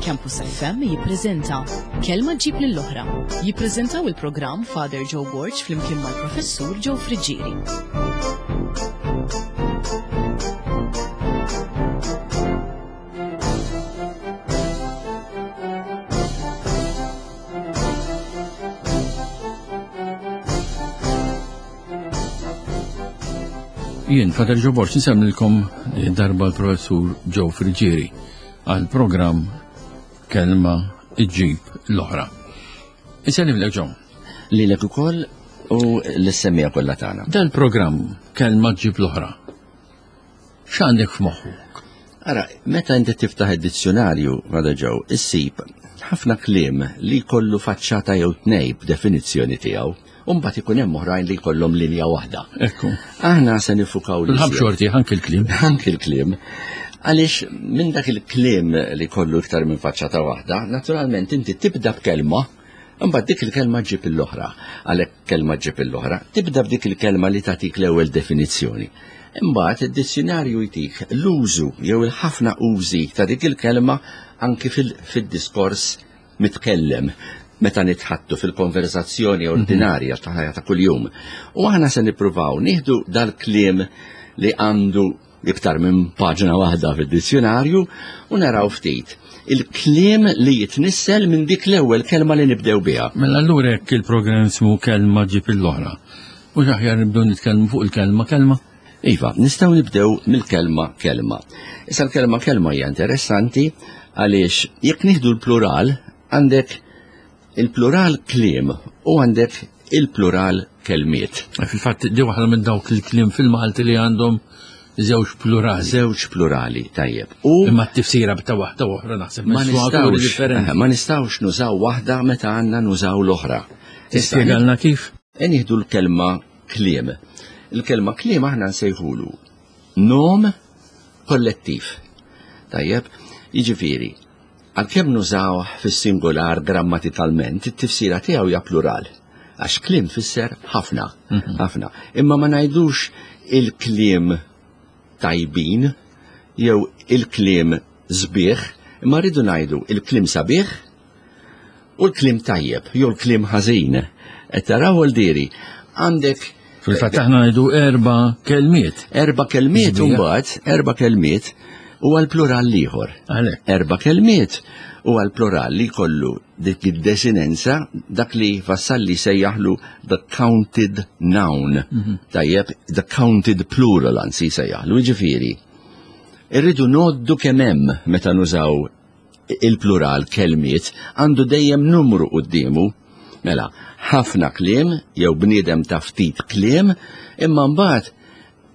Campus FM jippreżenta Kelma ġġib lill-oħra. Jippreżentaw il-programm Father Joe Borg flimkien mal-Professur Joe Friggieri. Jien, Father Joe Borg, nsemmilkom darba l-Professur Joe Friggieri għal programm Kelma iġġib l-oħra. Insellimlek Joe. Lilek ukoll u l-semmija kollha tagħna. Dal-programm Kelma ġġib l-oħra. X'għandek f'moħħok? Ara, meta inti tiftaħ id-dizzjonarju, Father Joe, issib ħafna kliem li jkollu faċċata jew tnej b'definizzjoni tiegħu, u mbagħad ikun hemm oħrajn li jkollhom linja waħda. Ekku. Aħna se nifukaw li. Ħab xorti, anki l-kliem. Anki l-kliem. Għaliex minn dak il-kliem li kollu iktar minn faċċata waħda, naturalment inti tibda b'kelma, imbagħad dik il-kelma ġib l-oħra. Għalhekk kelma ġib l-oħra, tibda b'dik il-kelma li tagħtik l-ewwel definizzjoni. Imbagħad id-dizzjonarju jtik l-użu jew il-ħafna użi ta' dik il-kelma anki fil-diskors mitkellem meta nitħattu fil-konversazzjoni mhm. ordinarja ta' ħajja ta' kuljum. U aħna se nippruvaw nieħdu dal-kliem li għandu iktar minn paġna waħda fid-dizzjonarju u naraw ftit il-kliem li jitnissel minn dik l-ewwel kelma li nibdew biha. Mela allura jekk il-programm ismu kelma ġib l-oħra. Mhux aħjar nibdew nitkellmu fuq il-kelma kelma? Iva, nistgħu nibdew mill-kelma kelma. Issa l-kelma kelma hija interessanti għaliex jekk nieħdu l-plural għandek il-plural kliem u għandek il-plural kelmiet. Fil-fatt di waħda minn dawk il-kliem fil-Malti li għandhom żewġ plurali. Żewġ plurali, tajjeb. U imma t-tifsira ta' waħda oħra naħseb ma nistgħux eh, ma nistgħux nużaw waħda meta għandna nużaw l-oħra. Tispjegalna kif? E nieħdu l-kelma kliem. Il-kelma kliem aħna nsejħulu nom kollettiv. Tajjeb, jiġifieri, għalkemm nużawh fis-singular grammatikalment, it-tifsira tiegħu hija plural. Għax kliem fisser ħafna, mhm. ħafna. Imma ma ngħidux il-kliem tajbin jew il-kliem sbieħ, imma rridu ngħidu il-kliem sabiħ u l-kliem tajjeb jew l-kliem ħażin. Qed taraw diri għandek Fil-fatt aħna ngħidu erba' kelmiet. Erba' kelmiet u mbagħad erba' kelmiet u għal plural ieħor. Erba' kelmiet u għal plural li jkollu dik id-desinenza dak li Vassalli sejjaħlu the counted noun. Mhm. Tajjeb, the counted plural anzi sejjaħlu, jiġifieri. Irridu noddu kemm hemm meta nużaw il-plural kelmiet għandu dejjem numru quddiemu. Mela, ħafna kliem jew bniedem ta' ftit kliem, imma mbagħad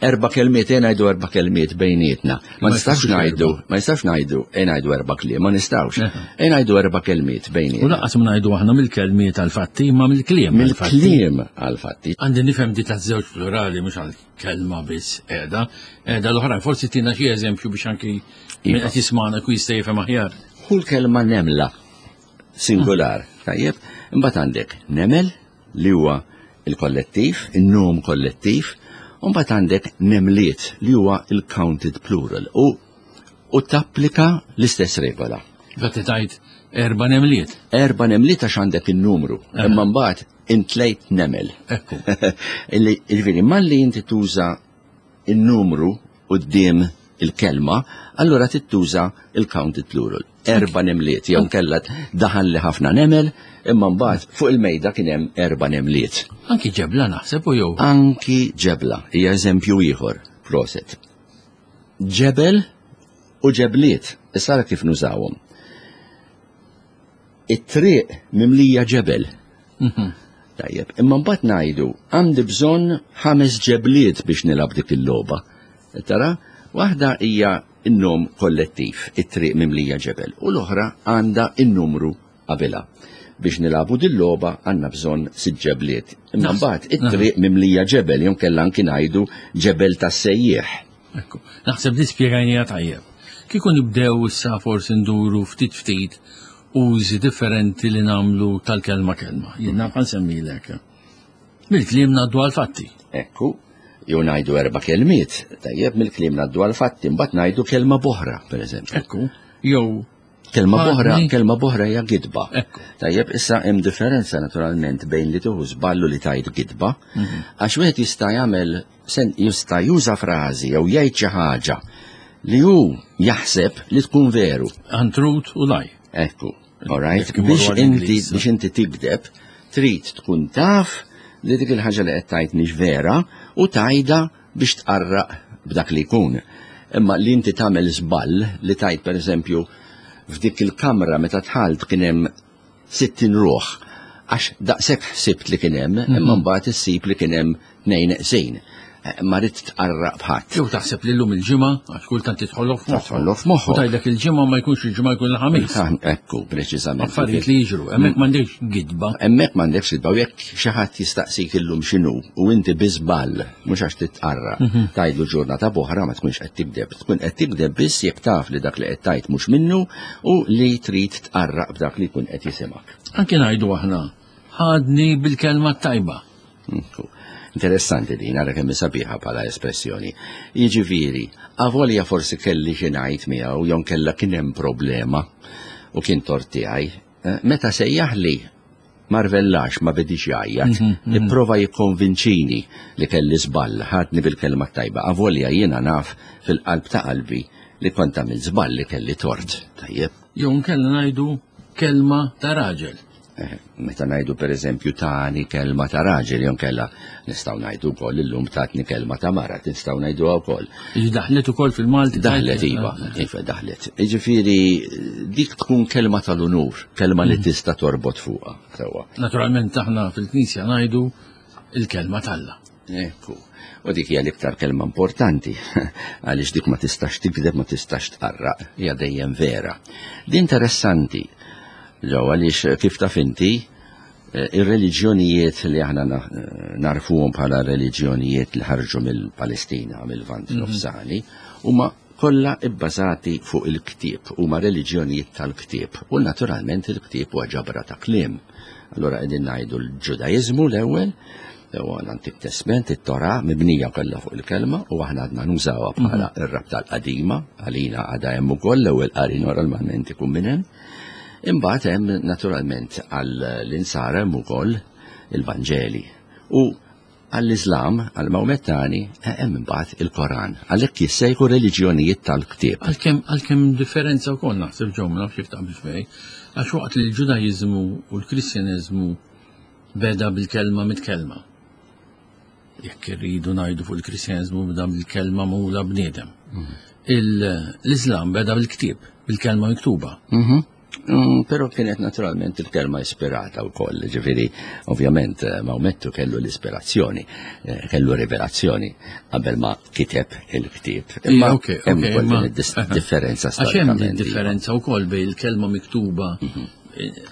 erba' kelmiet e ngħidu erba' kelmiet bejnietna. Ma nistax ngħidu, ma nistax ngħidu e ngħidu erba' kliem, ma nistgħux. E ngħidu erba' kelmiet bejnietna. U lanqas ma ngħidu aħna mill-kelmiet għall-fatti imma mill-kliem. Mill-kliem għall-fatti. Għandi nifhem di ta' żewġ plurali mhux għal kelma biss qiegħda, qiegħda l-oħrajn. Forsi tina xi eżempju biex anki min qed jismagħna ku jista' jifhem aħjar. Hu l-kelma nemla singular, tajjeb, imbagħad għandek nemel li huwa il-kollettiv, in-nom kollettiv, u mbagħad għandek nemliet li huwa il-counted plural u u tapplika l-istess regola. Għati tajt erba nemliet. Erba nemliet għax għandek il-numru, imma mbagħad intlejt nemel. Ekku. Ġifieri, malli inti tuża il-numru quddiem il-kelma, allura tittuża il-counted plural. Erba nemliet, jew kella daħal li ħafna nemel, imma mbagħad fuq il-mejda kien hemm erba nemliet. Anki ġebla naħseb u jew. Anki ġebla, hija eżempju ieħor, proset. Ġebel u ġebliet, issa kif nużawhom. It-triq mimlija ġebel. Mhm. Tajjeb, imma mbagħad ngħidu għandi bżonn ħames ġebliet biex nilgħab dik il-logħba. Tara, waħda hija n-nom kollettiv, it-triq mimlija ġebel, u l-oħra għandha n-numru qabilha. Biex nilagħbu din logħba għandna bżonn sitt ġebliet. Imma mbagħad it-triq mimlija ġebel jew kellha anki ngħidu ġebel tas-sejjieħ. Ekku, naħseb li spjegajnija tajjeb. Kieku nibdew issa forsi nduru ftit ftit użi differenti li namlu tal-kelma kelma. Jien naf nsemmilek. Mill-kliem ngħaddu għal-fatti. Ekku, jew ngħidu erba' kelmiet, tajjeb mill-kliem ngħaddu għal-fatti, mbagħad ngħidu kelma boħra, pereżempju. Ekku, jew. Kelma boħra, kelma boħra hija gidba. Tajjeb, issa hemm differenza naturalment bejn li tieħu żballu li tajt gidba, għax wieħed jista' jagħmel jista' juża frażi jew jgħid xi ħaġa li hu jaħseb li tkun veru. Untruth u lie. Ekku, all right? Biex inti biex inti tigdeb, trid tkun taf li dik il-ħaġa li qed tgħid mhix vera u tgħidha biex tqarraq b'dak li jkun. Imma li inti tagħmel żball li tgħid pereżempju f'dik il-kamra meta dħalt kien hemm 60 ruħ għax daqshekk ħsibt li kien hemm, imma mbagħad issib li kien hemm tnejn neqsin. Ma ridt tqarraq b'ħadd. Jew taħseb li llum il-ġimgħa, għax kultant tidħollok f'moħħok. Tidħollok f'moħħok. U tgħidlek il-ġimgħa ma jkunx il-ġimgħa jkun il-ħamis. Ekku, preċiżament. Affarijiet li jiġru, hemmhekk m'għandekx gidba. Hemmhekk m'għandekx gidba u jekk xi ħadd jistaqsik illum x'inhu u inti bi żball mhux għax titqarraq, tgħidlu ġurnata b'oħra ma tkunx qed tigdeb. Tkun qed tigdeb biss jekk taf li dak li qed tgħid mhux minnu u li trid tqarraq b'dak li jkun qed jisimgħek. Anki ngħidu aħna, ħadni bil-kelma t-tajba. Interessanti din, ara kemm sabiħa bħala espressjoni. Jiġifieri, avolja forsi kelli xi ngħid miegħu jew kellha kien hemm problema u kien tort tiegħi, meta sejjaħli ma rvellax, ma bedix jgħajjat, ipprova jikkonvinċini li kelli żball, ħadni bil-kelma t-tajba. Avolja jiena naf fil-qalb ta' qalbi li kont għamilt żball li kelli tort. Tajjeb. Jew nkella ngħidu kelma ta' raġel. Meta ngħidu pereżempju tani kelma ta' raġel jew nkella nistgħu ngħidu wkoll illum tatni kelma ta' mara, nistgħu ngħiduha wkoll. Daħlet ukoll fil-Malti. Daħlet iva, iva daħlet. Jiġifieri dik tkun kelma tal-unur, kelma li tista' torbot fuqha sewwa. Naturalment aħna fil-Knisja ngħidu il-kelma t'Alla. Ekku. U dik hija l-iktar kelma importanti, għaliex dik ma tistax tikdeb, ma tistax tqarraq, hija dejjem vera. Di interessanti, ġew għaliex kif taf inti, ir-reliġjonijiet li aħna narfuhom bħala reliġjonijiet li ħarġu mill-Palestina, mill-Lvant Nofsani, huma kollha bbażati fuq il-ktieb, huma reliġjonijiet tal-ktieb, u naturalment il-ktieb huwa ġabra ta' kliem. Allura qegħdin ngħidu l-Ġudaiżmu l-ewwel, huwa l-Antik Testament, it-Torah mibnija kollha fuq il-kelma u aħna għadna nużawha bħala r-rabta l-qadima, għalina għadha hemm ukoll l-ewwel qari normalment ikun minn hemm. Imbagħad hemm naturalment għall-insara hemm ukoll il-Vanġeli. U għall-Iżlam, għall-Mawmettani, hemm imbagħad il-Koran. Għalhekk jissejħu reliġjonijiet tal-ktieb. Għalkemm differenza wkoll naħseb ġew ma nafx jekk taqbilx miegħi, għax waqt li l-Ġudaiżmu u l-Kristjaneżmu beda bil-kelma mitkellma. Jekk irridu ngħidu fuq il-Kristjaneżmu beda bil-kelma magħmula bniedem. L-Iżlam beda bil-ktieb, bil-kelma miktuba. Però kienet naturalment il-kelma ispirata wkoll, ġifieri ovvjament Mawmettu kellu l-ispirazzjoni, kellu rivelazzjoni qabel ma kiteb il-ktieb. Imma hemm ukoll din id-differenza Għax hemm din differenza wkoll bejn il-kelma miktuba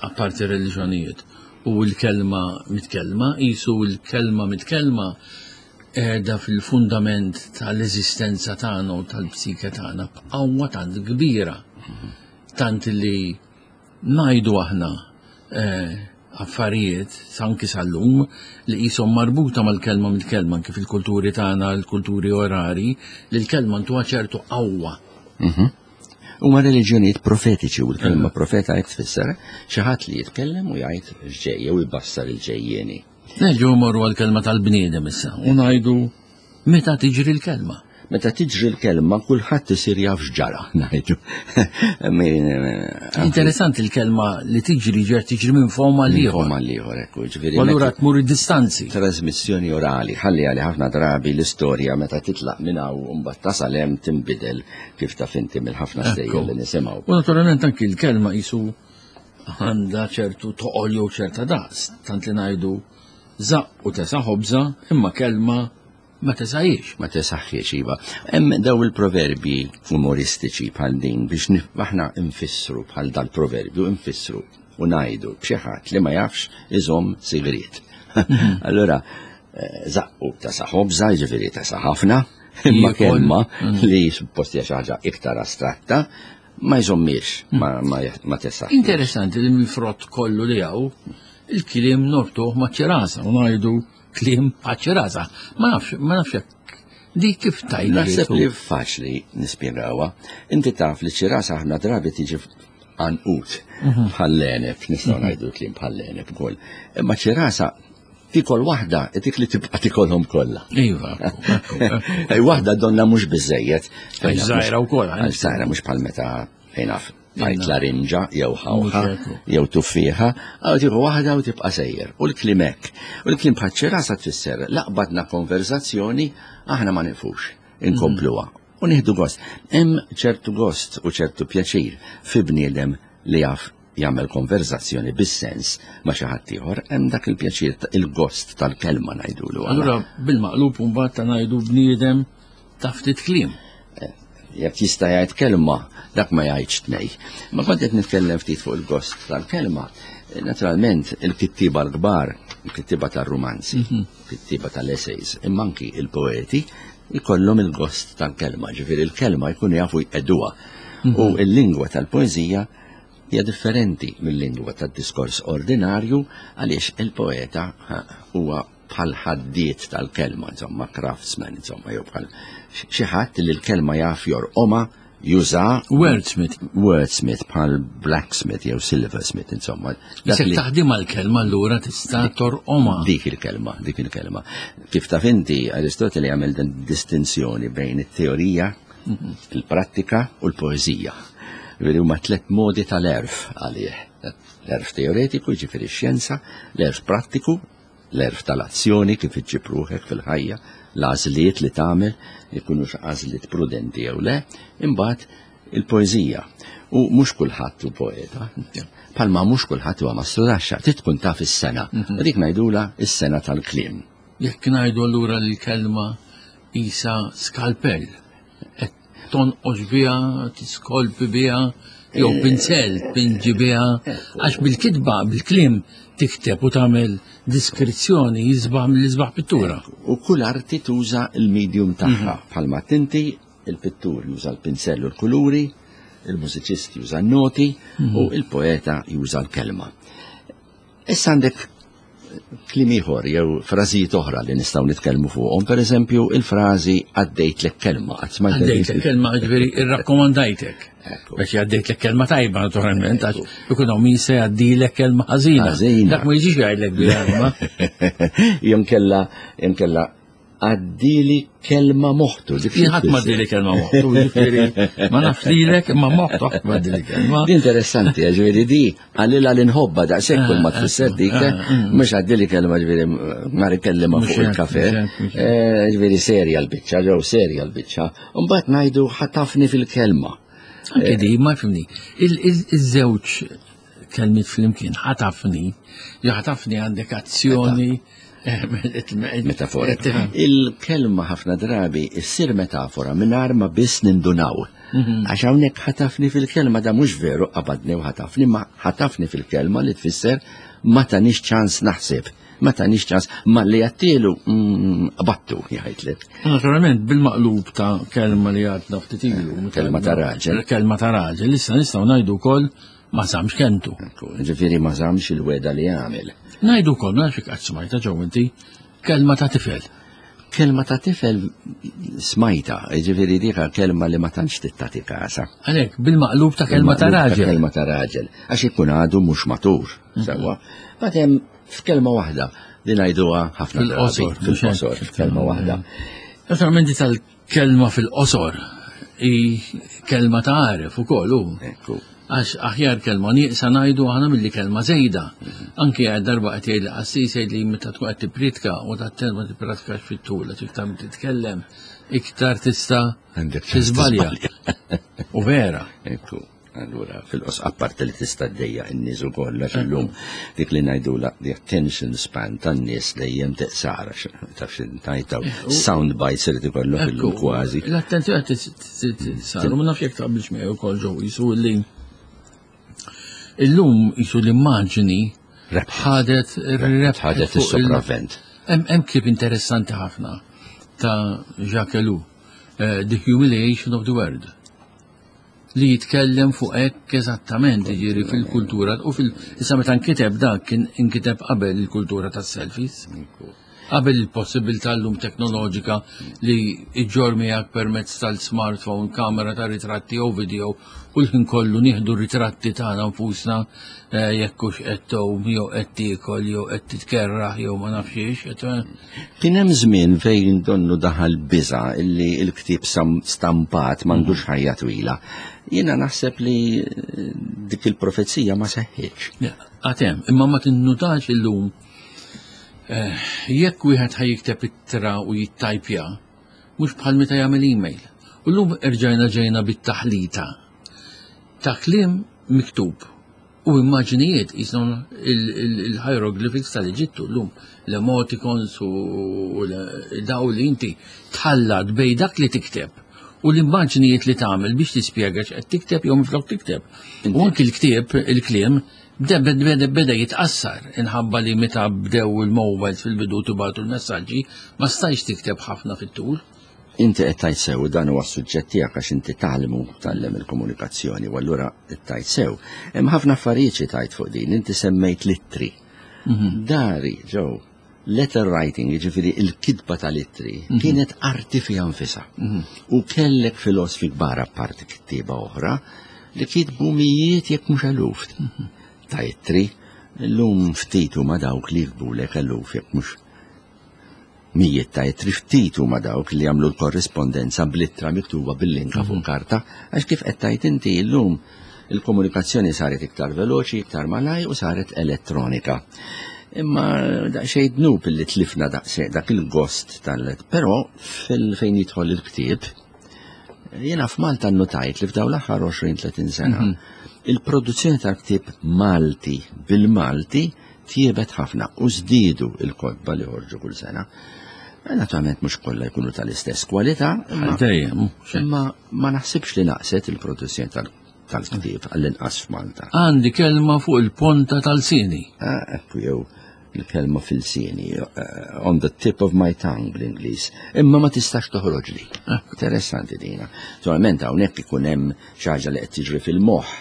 apparti reliġjonijiet u l-kelma mitkellma, qisu l-kelma mitkellma qiegħda fil-fundament tal-eżistenza tagħna u tal-psike tagħna b'qawwa tant kbira. Tant li ngħidu aħna affarijiet anki sal-lum li qishom marbuta mal-kelma mitkellma anki fil-kulturi tagħna, l-kulturi orali, li l-kelma ntuha ċertu qawwa. Huma reliġjonijiet profetiċi u l-kelma profeta hekk tfisser xi ħadd li jitkellem u jgħid x'ġej jew ibassar il-ġejjieni. Nerġgħu mmorru għall-kelma tal-bniedem issa u ngħidu meta tiġri l-kelma. Meta tiġri l-kelma kulħadd isir jaf x'ġara, ngħidu. Interessanti l-kelma li tiġri ġer tiġri minn fom għal ieħor. Minn fom għal ieħor, ekku, ġifieri U allura tmur id-distanzi. Trasmissjoni orali, ħalli għali ħafna drabi l-istorja meta titlaq minn hawn u mbagħad tasal hemm tinbidel kif taf inti mill-ħafna stejjer li nisimgħu. U naturalment anki l-kelma qisu għandha ċertu toqol jew ċerta daqs, tant li ngħidu żaqq u tesa' ħobża imma kelma ma tesajiex. Ma tesaħħiex, iva. Hemm daw il-proverbji umoristiċi bħal din biex aħna nfissru bħal dal-proverbju nfissru u ngħidu b'xi ħadd li ma jafx iżomm sigriet. Allura, żaqqu tesa' ħobża, jiġifieri tesa' ħafna, imma kelma li suppost hija xi ħaġa iktar astratta, ma jżommiex, ma tesaħħiex. Interessanti li mill-frott kollu li hawn, il-kliem nortuh ma' ċirasa u ngħidu kliem bħaċ-ċirasa. Ma nafx, ma nafx jekk di kif tajt. Naħseb li faċli nispjegawha. Inti taf li ċirasa ħafna drabi tiġi għanqut bħall-għeneb, nistgħu ngħidu kliem bħall-għeneb ukoll. Imma ċirasa tikol waħda, dik li tibqa' tikolhom kollha. Iva. Waħda donna mhux biżejjed. Żgħira wkoll. Żgħira mhux bħal meta fejnaf tajt larinġa jew ħawħa jew tuffieħa, għaw tieħu waħda u tibqa' sejjer. U l-kliem hekk. U l-kliem bħal ċirasa tfisser laqbadna konverzazzjoni aħna ma nifux inkompluha. U nieħdu gost. Hemm ċertu gost u ċertu pjaċir fi bniedem li jaf jagħmel konverzazzjoni bis-sens ma' xi ħadd ieħor, hemm dak il-pjaċir il-gost tal-kelma ngħidulu. Allura bil-maqlub mbagħad ta' ngħidu bniedem ta' ftit kliem. Eh, jekk jista' jgħid kelma, dak ma jgħidx tnej. Ma kont qed nitkellem ftit fuq il-gost tal-kelma. Eh, naturalment, il-kittiba l-kbar, il-kittiba tar-rumanzi, il-kittiba tal-essays, imma anki il-poeti, jkollhom il-gost tal-kelma, ġifieri il-kelma jkunu jafu jqeduha. U il-lingwa tal-poeżija hija differenti mill-lingwa tad-diskors ordinarju għaliex il-poeta huwa bħal ħaddiet tal-kelma, insomma, craftsman, insomma, jew bħal xi ħadd li l-kelma jaf jorqoma juża. Wordsmith. Wordsmith bħal blacksmith jew silversmith, insomma. Dak li taħdim għal-kelma allura tista' torqoma. Dik il-kelma, dik il-kelma. Kif taf inti, Aristoteli għamel din distinzjoni bejn it-teorija, il-prattika u l-poeżija. Veri huma tliet modi tal-erf għalih. L-erf teoretiku, ġifieri x-xjenza, l-erf prattiku, l-erf tal-azzjoni kif iġġib ruħek fil-ħajja, l-għażliet li tagħmel, ikunux għażliet prudenti jew le, imbagħad il-poeżija. U mhux kulħadd hu poeta. Palma mhux kulħadd huwa mastrudaxxa, trid tkun taf is-sena. Mhm. U dik ngħidula is-sena tal-kliem. Jekk ngħidu allura li l-kelma isa skalpell, qed tonqos biha, tiskolpi biha, jew eh, pinsel tpinġi biha, għax bil-kitba, bil-kliem tikteb u tagħmel diskrizzjoni jisbaħ mill-isbaħ pittura. U kull arti tuża il-medium tagħha, mhm. bħalma tinti il-pittur juża l-pinsell u l-kuluri, il-mużiċist juża n-noti mhm. u il-poeta juża l-kelma. Issa għandek kliem ieħor jew frażijiet oħra li nistgħu nitkellmu fuqhom, pereżempju il-frażi għaddejtlek kelma. Għaddejtlek kelma, ġifieri irrakkomandajtek. Biex għaddejtlek kelma tajba naturalment, għax ikun hawn min se jgħaddilek kelma ħażina. Dak ma jiġix jgħidlek biha. Jew kella jew kella Għaddili kelma moħtu. Jien ħadd ma għaddili kelma moħtu, ġifieri ma nafx lilek imma moħtu ħadd ma għaddili kelma. Di interessanti, ġifieri di għalila li nħobba daqshekk kull ma ah, tfisser dik, ah, ah, mm. mhux għaddili kelma ġifieri ma kellima fuq il-kafe. Eh, ġifieri serja l-biċċa, ġew serja l-biċċa. Mbagħad ngħidu ħatafni fil-kelma. Anke di, ma fimni. Il-żewġ kelmiet flimkien ħatafni, jew ħatafni għandek azzjoni. Eh, metafora. Il-kelma ħafna drabi issir metafora mingħajr ma biss nindunaw. Mhm. Għax hawnhekk ħatafni fil-kelma da mhux veru qabadni u ħatafni, ma ħatafni fil-kelma li tfisser ma tanix ċans naħseb. Ma tanix ċans ma li għattilu mm, battu jgħidlek. Naturalment bil-maqlub ta' kelma li għadna ftit ilu. Kelma ta' raġel. Kelma ta' raġel, issa nistgħu ngħidu wkoll Ma żammx kelmtu. Ġifieri ma żammx il-weda li għamel. Ngħidu wkoll ma nafx qatt smajta ġew inti kelma ta' tifel. Kelma ta' tifel smajta, ġifieri dika kelma li ma tantx tittati kasa. Għalhekk bil-maqlub ta' kelma ta' raġel. Kelma ta' raġel, għax ikun għadu mhux matur, mhm. sewwa. Bagħad hemm f'kelma waħda li ngħiduha ħafna fil-qosor, fil-qosor, f'kelma waħda. Naturalment tal Kelma fil-qosor hi kelma ta' għaref ukoll hu. Ekku. Għax aħjar kelma nieqsa ngħidu aħna milli kelma żejda. Anki għad darba qed jgħid qassis jgħid li meta tkun qed tippriedka u tat ma tippratikax fit-tul għax iktar ma titkellem iktar tista' tiżbalja. U vera. Ekku. Allura, fil-qos apparti li tista' ddejja n-nies ukoll għax illum dik li ngħidula the attention span tan-nies dejjem teqsar taf xi sound bites irid ikollok illum kważi. L-attenzjoni qed ma nafx jekk taqbilx miegħi wkoll ġew jisu li illum jisu l-immaġni ħadet ħadet is-sopravvent. Hemm ktieb interessanti ħafna ta' Jacques Ellul, eh, The Humiliation of the World. li jitkellem fuq hekk eżattament, jiġifieri fil-kultura u fil issa meta nkiteb dak kien inkiteb qabel il-kultura tas-selfies. Qabel il-possibilità llum teknoloġika li iġġor miegħek permezz tal-smartphone, kamera ta' ritratti jew video u l-ħin kollu nieħdu ritratti tagħna nfusna eh, jekk hux qed tgħum jew qed tiekol jew qed titkerraħ jew ma nafx ix. Kien hemm żmien fejn donnu daħal biża illi l-ktieb stampat m'għandux ħajja twila. Jiena naħseb li eh, dik il-profezija ma seħħitx. Għatem, imma ma tinnutax illum eh, jekk wieħed ħaj jikteb ittra u jittajpja, mhux bħal meta jagħmel email. U llum erġajna ġejna bit-taħlita ta' kliem miktub u immaġnijiet jisom il-hieroglyphics tal-Eġittu llum l-emoticons u daw li inti tħallat bej dak li tikteb u l-immaġnijiet li tagħmel biex tispjega x'qed tikteb jew minflok tikteb. U anki l-ktieb, il-kliem, beda beda jitqassar inħabba li meta bdew il-mobiles fil-bidu tibatu l-messaġġi ma stajx tikteb ħafna fit-tul. Inti qed tgħid sew dan huwa s-suġġett tiegħek għax inti tgħallmu tgħallem il-komunikazzjoni u allura qed tgħid sew. Hemm ħafna affarijiet xi tgħid fuq din, inti semmejt l-ittri. Mhm. Dari, ġew, letter writing, jiġifieri il-kitba tal-ittri, mhm. kienet arti fiha nfisha. Mhm. U kellek filosfi kbar apparti kittieba oħra li kitbu mijiet jekk mhux eluf ta' ittri. Illum ftit huma dawk li jiktbulek eluf jekk mhux mijiet ta' ittri ftit huma dawk li jagħmlu l-korrispondenza bl-ittra miktuba bil-linka fuq mhm. karta, għax kif qed tgħid inti llum il-komunikazzjoni saret iktar veloċi, iktar malaj u saret elettronika. Imma daqsxejn dnub li tlifna daqsxejn dak il-gost tal Però fejn jidħol il-ktieb, jiena f'Malta nnotajt li f'dawn l-aħħar 20-30 sena mhm. il-produzzjoni tal-ktieb Malti bil-Malti tjiebet ħafna u żdiedu il-kotba li ħorġu kull sena. Naturalment mhux kollha jkunu tal-istess kwalità, imma ma naħsibx li naqset il-produzzjoni tal-ktieb għall-inqas f'Malta. Għandi kelma fuq il-ponta tal-sini. Ah, ekku jew il-kelma fil-sini, eh, on the tip of my tongue bl-Ingliż, imma ma tistax toħroġli. Ah. Interessanti dina. Naturalment hawnhekk ikun hemm xi ħaġa li qed tiġri fil-moħħ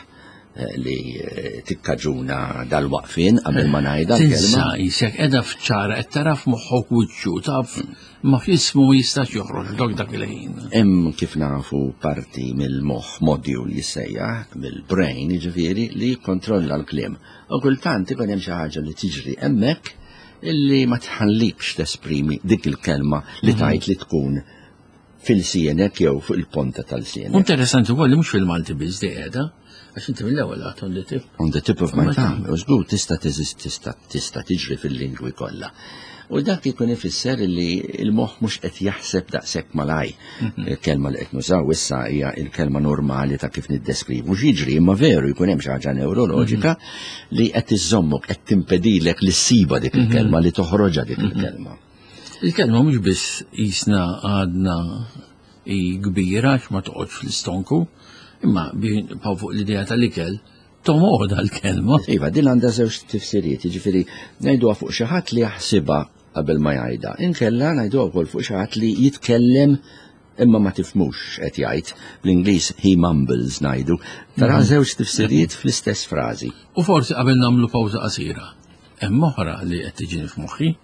Eh, li eh, tikkaġuna dal-waqfien qabel ma ngħidha l-kelma. Isek qiegħda f'ċara qed tara f'moħħok wiċċu taf ma f'ismu ma jistax joħroġ dok dak il-ħin. Hemm kif nafu parti mill-moħħ module jissejjaħ mill-brain jiġifieri li jikkontrolla l-kliem. U kultant ikun hemm xi ħaġa li tiġri hemmhekk illi ma tħallikx tesprimi dik il-kelma li mhm. tajt li tkun fil-sienek jew fuq il-ponta tal-sienek. Interessanti wkoll li mhux fil-Malti biss di qiegħda, għax inti mill-ewwel għad on the tip. On the tip of my tongue, u żgur tista' tista' tista' tiġri fil-lingwi kollha. U dak ikun ifisser li l-moħħ mhux qed jaħseb daqshekk malaj. Mhm. Il-kelma li qed nużaw issa hija il-kelma normali ta' kif niddeskrivu x'jiġri, imma veru jkun hemm xi ħaġa neuroloġika mhm. li qed iżommok qed timpedilek li ssiba dik mhm. il-kelma li toħroġha dik il-kelma. Il-kelma mhux biss qisna għadna hi kbira għax ma toqgħodx fl-istonku, imma bħal fuq l-idea tal-ikel tomgħodha l-kelma. Iva, din għandha żewġ tifsiriet, jiġifieri ngħiduha fuq xi ħadd li jaħsibha qabel ma jgħidha. Inkella ngħiduha wkoll fuq xi ħadd li jitkellem imma ma tifhmux x'qed jgħid. Bl-Ingliż he mumbles ngħidu. Tara mhm. żewġ tifsiriet fl-istess frażi. U forsi qabel nagħmlu pawża qasira, hemm oħra li qed tiġini f'moħħi.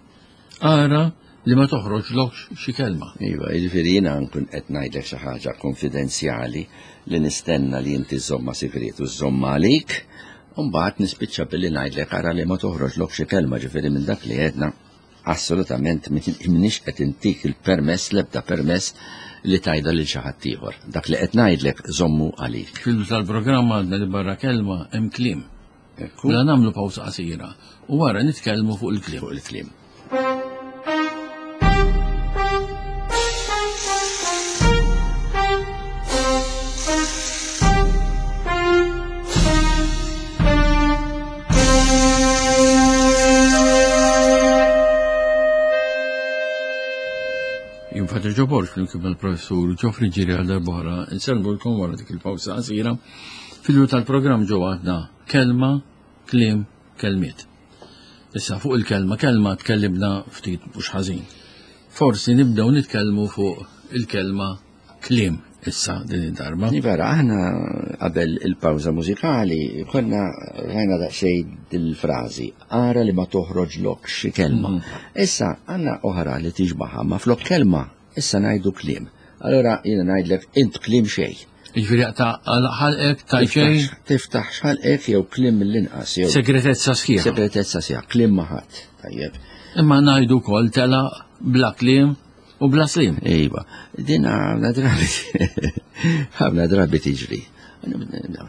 Ara li ma toħroġlokx xi kelma. Iva, jiġifieri jiena nkun qed ngħidlek xi ħaġa konfidenzjali li nistenna li inti żżommha sigriet u żżommha għalik, u mbagħad nispiċċa billi ngħidlek ara li ma toħroġlok xi kelma, ġifieri minn dak li għedna assolutament m'iniex qed intik il-permess l-ebda permess li tgħidha lil xi ħadd ieħor. Dak li qed ngħidlek żommu għalik. Fil tal-programm għadna li barra kelma hemm kliem. Mela nagħmlu pawsa qasira u wara nitkellmu fuq il-kliem. Fuq il-kliem. Jien Father Joe Borg flimkien mal-Professur Geoffrey Ġiri għal darb'oħra insellmulkom wara dik il-pawsa qasira. Fil-bidu tal-programm ġo għadna kelma, kliem, kelmiet. Issa fuq il-kelma kelma tkellimna ftit mhux ħażin. Forsi nibdew nitkellmu fuq il-kelma kliem. issa din id-darba. Vera, aħna qabel il-pawża mużikali konna rajna daqsxejn dil-frażi, ara li ma toħroġ lok xi kelma. Issa għandna oħra li tixbaħha ma flok kelma, issa ngħidu kliem. Allora jiena ngħidlek int kliem xejn. Jiġifieri ta' ħalqek ta' xejn. Tiftaħ x'ħalqek jew kliem mill-inqas jew. Segretezza sħiħa. Segretezza sħiħa, kliem ma ħadd. Tajjeb. Imma ngħidu wkoll tela bla kliem u bla slim. Iva, din ħafna drabi ħafna drabi tiġri.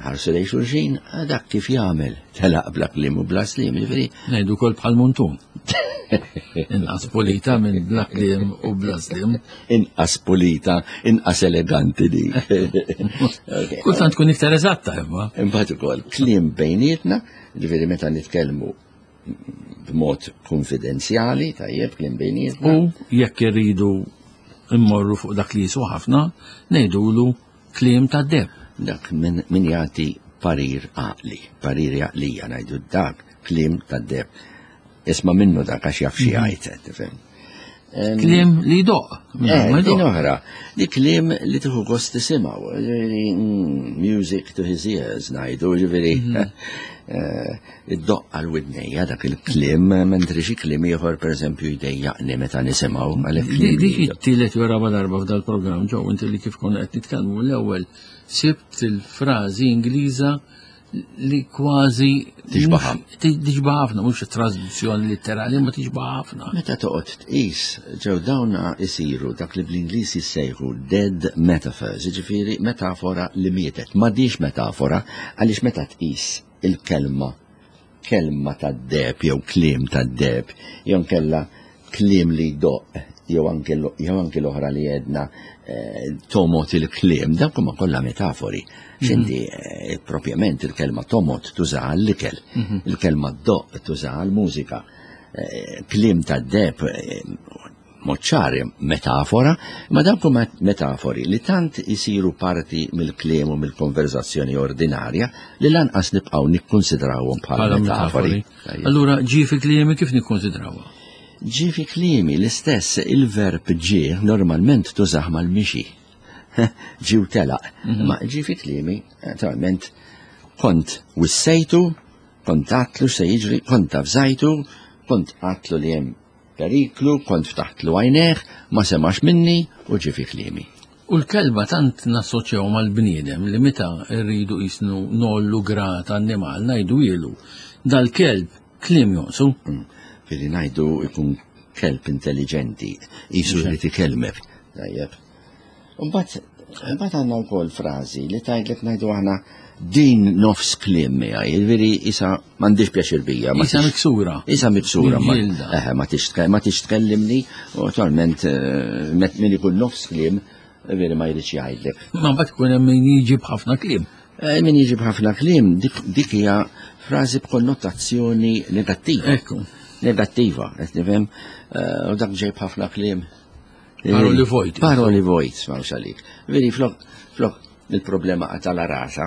Ħarsu lejn xulxin, dak kif jagħmel telaq bla kliem u bla slim, jiġifieri. Ngħidu wkoll bħal muntun. Inqas pulita minn bla kliem u bla slim. Inqas pulita, inqas eleganti di. Kultant tkun iktar eżatta imma. Imbagħad ukoll kliem bejnietna, ġifieri meta nitkellmu b'mod konfidenzjali, tajjeb, kliem bejnietna. U jekk irridu immorru fuq dak li jiswa ħafna, ngħidulu kliem ta' deb. Dak min jagħti parir għaqli, parir għaqlija ngħidu dak kliem ta' deb. Isma' minnu dak għax jaf xi jgħid, tifhem. Kliem li jdoq. Eh, din oħra, di kliem li tieħu gost tisimgħu, ġifieri music to his ears ngħidu, ġifieri eh, id-doq għal widnejja dak il-kliem, mentri xi kliem ieħor pereżempju jdejjaqni meta nisimgħu għalhekk kliem Dik it-tielet jew raba' darba f'dal-programm ġew inti li kif konna qed nitkellmu l-ewwel sibt il-frażi Ingliża li kważi Tixbaħha. Tixbaħ ħafna, mhux traduzzjoni litterali, ma tixbaħ ħafna. Meta toqgħod tqis, ġew dawna isiru dak li bl-Ingliż jissejħu dead metaphors, jiġifieri metafora li mietet. M'għadhiex metafora għaliex meta tqis il-kelma kelma tad-deheb jew kliem tad-deheb jew inkella kliem li jdoqq jew anke jew anke l-oħra li għedna eh, tomot il-kliem, dawk huma kollha metafori. X'inti eh, propjament il-kelma tomot tuża għall-ikel, il-kelma doqq tuża għall-mużika. Eh, kliem tad-deheb mod ċar metafora, ma dawk huma metafori li tant isiru parti mill-kliem u mill-konverzazzjoni ordinarja li lanqas nibqgħu nikkunsidrawhom bħala metafori. Allura ġie fi kliemi kif nikkonsidrawha? Ġie fi kliemi l-istess il-verb ġie normalment tużah mal-mixi. Ġie u telaq. Ma ġie fi kliemi, naturalment, kont wissejtu, kont għatlu se jiġri, kont avżajtu, kont għatlu li hemm periklu, kont ftaħtlu għajnejh, ma semax minni u ġie fi kliemi. U l-kelba tant nassoċjaw mal-bniedem li meta rridu qisnu ngħollu grad annimal ngħidu ilu dal-kelb kliem jonqsu. Billi ngħidu ikun kelb intelligenti, qisu jrid ikellmek. Tajjeb. Imbagħad imbagħad għandna wkoll frażi li tgħidlek ngħidu aħna din nofs kliem miegħi, jiġifieri isa m'għandix pjaċir bija. Isa miksura. Isa miksura. Eħe, ma tix tkellimni, u attualment eh, min ikun nofs kliem, veri ma jridx jgħidlek. Ma mbagħad ikun hemm min jiġi b'ħafna kliem. Eh, min jiġi b'ħafna kliem, dik hija frażi b'konnotazzjoni negattiva. Ekku. Negattiva, qed nifhem, eh, u dak ġej b'ħafna kliem. Paroli vojt. Paroli vojt, ma għalik. Veri, flok, flok, il-problema għatala rasa,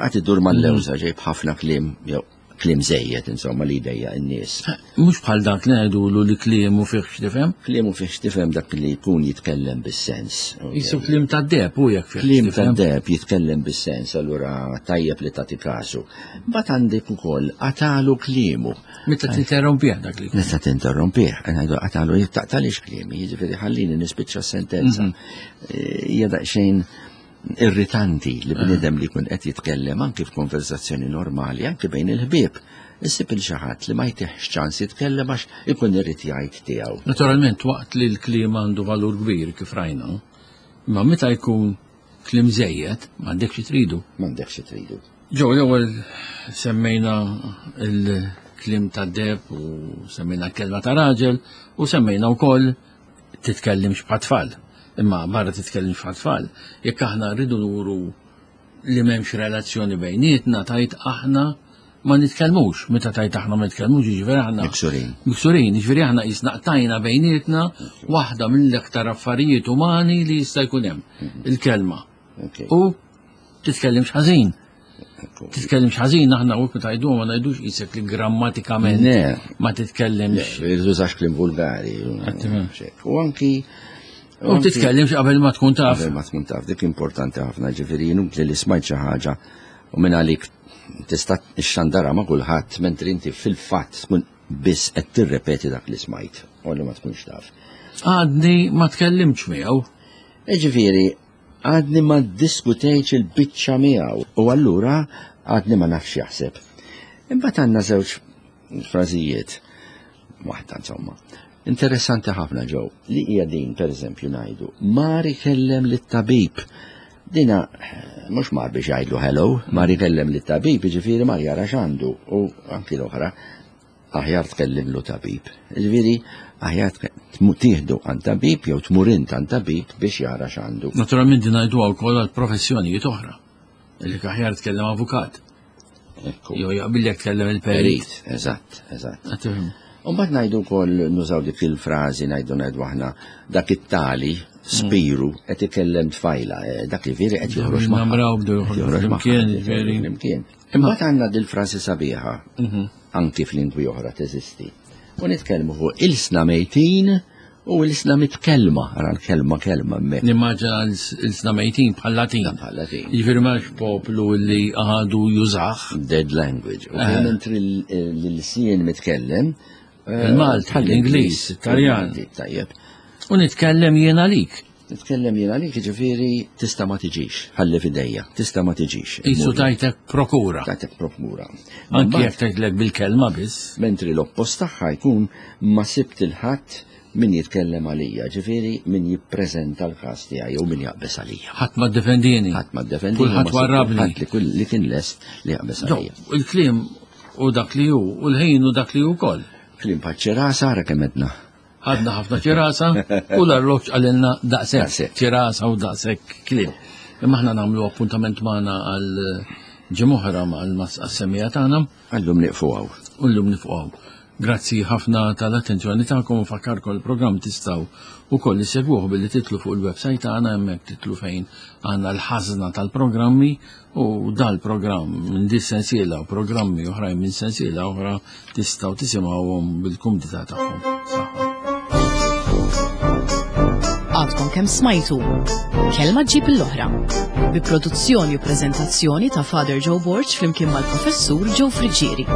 għat iddur mal-lewża ġej b'ħafna kliem, jew kliem żejjed, insomma, li jdejja n-nies. Mhux bħal dak li ngħidulu li kliemu fih x'tifhem? Kliemu fih x'tifhem dak li jkun jitkellem bis-sens. Jisu kliem tad-deheb u jekk fih. Kliem tad-deheb jitkellem bis-sens, allura tajjeb li tagħti kasu. Mbagħad għandek ukoll qatalu kliemu. Meta tinterrompih dak li. Meta tinterrompih, ngħidu qatalu taqtalix kliemi, jiġifieri ħallini nispiċċa s-sentenza. Eh, hija daqsxejn irritanti li bniedem li jkun qed jitkellem anki f'konversazzjoni normali, anki bejn il-ħbieb, issib il xi ħadd li ma jtihx ċans jitkellem għax ikun irid jgħid tiegħu. Naturalment waqt li l-kliem għandu valur kbir kif rajna, imma meta jkun kliem żejjed m'għandekx xi tridu. M'għandekx xi tridu. Ġew l-ewwel semmejna l-kliem tad-deheb u semmejna l-kelma ta' raġel u semmejna wkoll titkellimx bħat-tfal. Imma barra titkellimx bħat-tfal, jekk aħna rridu nuru li m'hemmx relazzjoni bejnietna, tajt aħna ma nitkellmux. Meta tajt aħna ma nitkellmux, jiġifieri aħna Miksurin. Miksurin, jiġifieri aħna qisna qtajna bejnietna waħda mill-aktar affarijiet umani li jista' jkun hemm, il-kelma. U titkellimx ħażin. Titkellimx ħażin aħna u meta ngħidu ma ngħidux qisek li grammatikament ma titkellimx. Le, tużax kliem vulgari. U anki U titkellimx qabel ma tkun taf. Qabel ma tkun taf, dik importanti ħafna, ġifieri inutli li smajt xi ħaġa u minn għalik tista' xandara ma' kulħadd mentri inti fil-fatt tkun biss qed tirrepeti dak li smajt u li ma tkunx taf. Għadni ma tkellimx miegħu. Ġifieri, għadni ma ddiskutejtx il-biċċa miegħu u allura għadni ma nafx jaħseb. Imbagħad għandna żewġ frażijiet, waħda insomma, interessanti ħafna ġew, li hija din pereżempju ngħidu, mar ikellem lit-tabib. Dina mhux mar biex jgħidlu hello, mar ikellem lit-tabib, jiġifieri mar jara x'għandu u anki l-oħra aħjar tkellimlu tabib. Ġifieri aħjar tieħdu għand tabib jew tmur int għand tabib biex jara x'għandu. Naturalment din ngħiduha wkoll għal professjonijiet oħra. Illi aħjar tkellem avukat. Jew jaqbillek tkellem il-perit. Eżatt, eżatt. U mbagħad ngħidu wkoll nużaw dik il-frażi ngħidu ngħidu aħna dak it-tali spiru qed ikellem tfajla, eh, dak li veri qed joħroġ ma' Namraw bdew joħroġ flimkien, veri. Flimkien. Imbagħad għandna dil-frażi sabiħa, mhm. anki f'lingwi oħra teżisti. U nitkellmu fuq ilsna mejtin u ilsna mitkellma, ara l-kelma kelma hemmhekk. Nimmaġina ilsna mejtin bħal Latin. Bħal Latin. Jiġifieri m'hemmx poplu li għadu jużah. Dead language. U eh. mentri l-lsien mitkellem. Eh, Il-Malti, l-Ingliż, it-Taljan. Tajjeb. U nitkellem jien għalik. Nitkellem jien għalik, ġifieri tista' ma tiġix, ħalli f'idejja, tista' ma tiġix. Isu tajtek prokura. Tajtek prokura. Anki jekk tajtlek bil-kelma biss. Mentri l-oppost tagħha jkun ma sibt il-ħadd min jitkellem għalija, ġifieri min jippreżenta l-każ tiegħi jew min jaqbeż għalija. Ħadd ma ddefendini. Ħadd ma ddefendini. Kulħadd warrabni. Ħadd li kull li kien lest li jaqbeż għalija. Il-kliem u dak li hu, u l-ħin u dak li hu wkoll. Kliem paċċerasa ara kemm edna. Għadna ħafna ċirasa u l-arloġġ qalilna daqshekk ċirasa u daqshekk kliem. Imma aħna nagħmlu appuntament magħna għal ġimgħa mal-semmija tagħna. Għallum nieqfu hawn. U llum nieqfu hawn. Grazzi ħafna tal-attenzjoni tagħkom u fakkarkom il-programm tistgħu ukoll issegwuh billi titlu fuq il-website tagħna hemmhekk titlu fejn għandna l-ħażna tal-programmi U dal-programm minn di sensiela u programmi oħrajn minn sensiela oħra tistgħu tisimgħuhom bil-kumdità tagħhom. Saħħa. Għadkom kemm smajtu Kelma ġib l-oħra bi produzzjoni u preżentazzjoni ta' Father Joe Borg flimkien mal-Professur Joe Friggieri.